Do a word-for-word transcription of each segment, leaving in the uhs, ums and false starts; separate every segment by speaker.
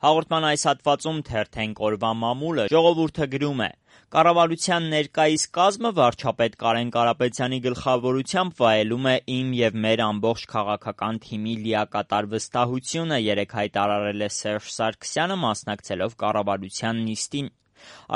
Speaker 1: Հաղորդման այս հատվածում թերթենք օրվա մամուլը, ժողովուրդը գրում է. Կառավարության ներկայիս կազմը վարչապետ Կարեն Կարապետյանի գլխավորությամբ վայելում է իմ և մեր ամբողջ քաղաքական թիմի լիակատար վստահությունը, երեկ հայտարարել է Սերժ Սարգսյանը, մասնակցելով կառավարության նիստին։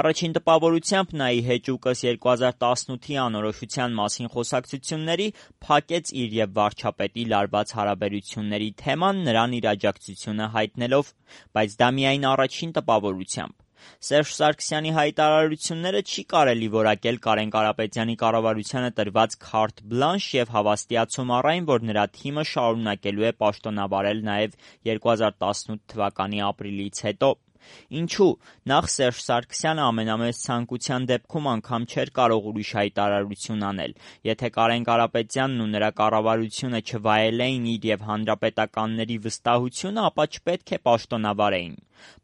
Speaker 1: Առաջին տպավորությամբ նա ի հեճուկս երկու հազար տասնութի անորոշության մասին խոսակցությունների փակեց իր և վարչապետի լարված հարաբերությունների թեման, նրան իր աջակցությունը հայտնելով, բայց դա միայն առաջին տպավորությամբ։ Սերժ Սարգսյանի հայտարարությունները չի կարելի որակել Կարեն Կարապետյանի կառավարությանը տրված քարտ բլանշ և հավաստիացում առ այն, որ նրա թիմը շարունակելու է պաշտոնավարել նաև երկու հազար տասնութ թվականի ապրիլից հետո։ Ինչու՞։ Նախ Սերժ Սարգսյանը ամենամեծ ցանկության դեպքում անգամ չէր կարող ուրիշ հայտարարություն անել։ Եթե Կարեն Կարապետյանն ու նրա կառավարությունը չվայելեին իր և հանրապետականների վստահությունը, ապա չպետք է պաշտոնավարեին։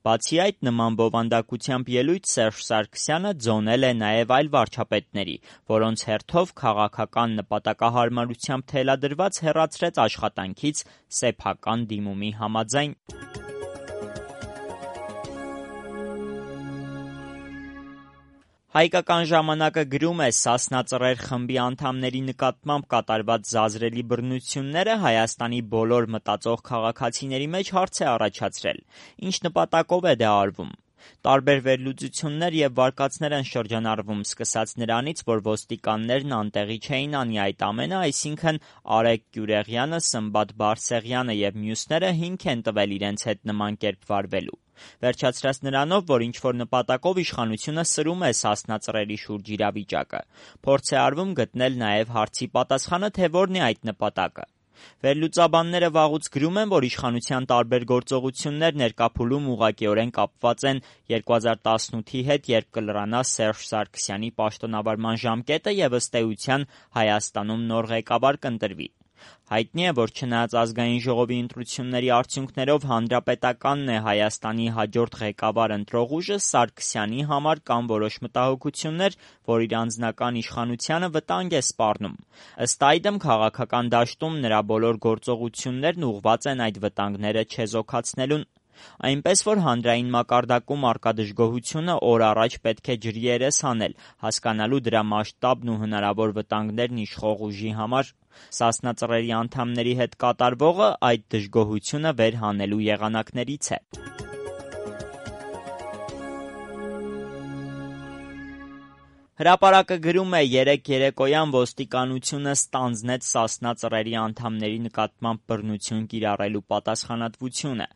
Speaker 1: Բացի այդ, նման բովանդակությամբ ելույթ Սերժ Սարգսյանը ձոնել է նաև այլ վարչապետների, որոնց հերթով քաղաքական նպատակահարմարությամբ թելադրված հեռացրեց աշխատանքից սեփական դիմումի համաձայն։ Հայկական ժամանակը գրում է. «Սասնա Ծռեր» խմբի անդամների նկատմամբ կատարված զազրելի բռնությունները Հայաստանի բոլոր մտածող քաղաքացիների մեջ հարց է առաջացրել. ինչ նպատակով է դա արվում։ Տարբեր վերլուծություններ և վարկածներ են շրջանառվում, սկսած նրանից, որ ոստիկաններն անտեղի չէին անի այդ ամենը, այսինքն Արեգ Գյուրեղյանը, Սմբատ Բարսեղյանը և մյուսները հիմք են տվել իրենց հետ նման կերպ վարվելու։ Վերջացրած նրանով, որ ինչ-որ նպատակով իշխանությունը սրում է Սասնա Ծռերի շուրջ իրավիճակը։ Փորձ է արվում գտնել նաև հարցի պատասխանը, թե որն է այդ նպատակը։ Վերլուծաբանները վաղուց գրում են, որ իշխանության տարբեր գործողություններ ներկափուլում ուղղակիորեն կապված են երկու հազար տասնութի հետ, երբ կլրանա Սերժ Սարգսյանի պաշտոնավարման ժամկետը և ըստ էության Հայաստանում նոր ղեկավար կընտրվի։ Հայտնի է, որ չնայած ազգային ժողովի ընտրությունների արդյունքներով Հանրապետականն է Հայաստանի հաջորդ ղեկավար ընտրող ուժը, Սարգսյանի համար կան որոշ մտահոգություններ, որ իր անձնական իշխանությանը վտանգ է սպառնում։ Ըստ այդմ, քաղաքական դաշտում նրա բոլոր գործողություններն ուղղված են այդ վտանգները չեզոքացնելուն։ Այնպես որ հանրային մակարդակում առկա դժգոհությունը օր առաջ պետք է ջրի երես հանել, հասկանալու դրա մասշտաբն ու հնարավոր վտանգներն իշխող ուժի համար։ Սասնա Ծռերի անդամների հետ կատարվողը այդ դժգոհությունը վեր հանելու եղանակներից է։ Հրապարակը գրում է. երեկ երեկոյան ոստիկանությունը ստանձնեց Սասնա Ծռերի անդամների նկատմամբ բռնություն կիրառելու պատասխանատվությունը։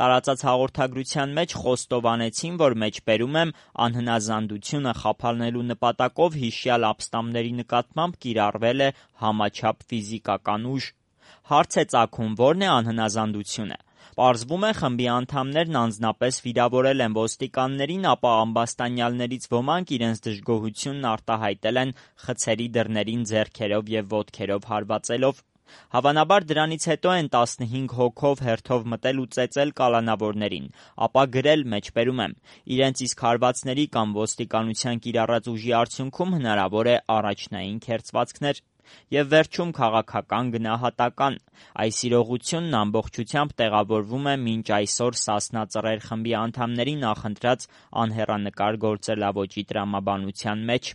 Speaker 1: Տարածած հաղորդագրության մեջ խոստովանեցին, որ մեջբերում եմ անհնազանդությունը խափանելու նպատակով հիշյալ ապստամբների նկատմամբ կիրառվել է համաչափ ֆիզիկական ուժ։ Հարց է ծագում, ո՞րն է անհնազանդությունը։ Պարզվում է, խմբի անդամներն անձնապես վիրավորել են ոստիկաններին, ապա ամբաստանյալներից ոմանք իրենց դժգոհությունն արտահայտել են խցերի դռներին ձեռքերով և ոտքերով հարվածելով։ Հավանաբար դրանից հետո են տասնհինգ հոգով հերթով մտել ու ծեծել կալանավորներին, ապա գրել մեջբերում եմ. իրենց իսկ հարվածների կամ ոստիկանության կիրառած ուժի արդյունքում հնարավոր է առաջնային քերծվածքներ։ Եվ վերջում քաղաքական գնահատական։ Այս իրողությունն ամբողջությամբ տեղավորվում է մինչ այսօր Սասնա Ծռեր խմբի անդամների նախընտրած անհեռանկար գործելավոճի տրամաբանության մեջ։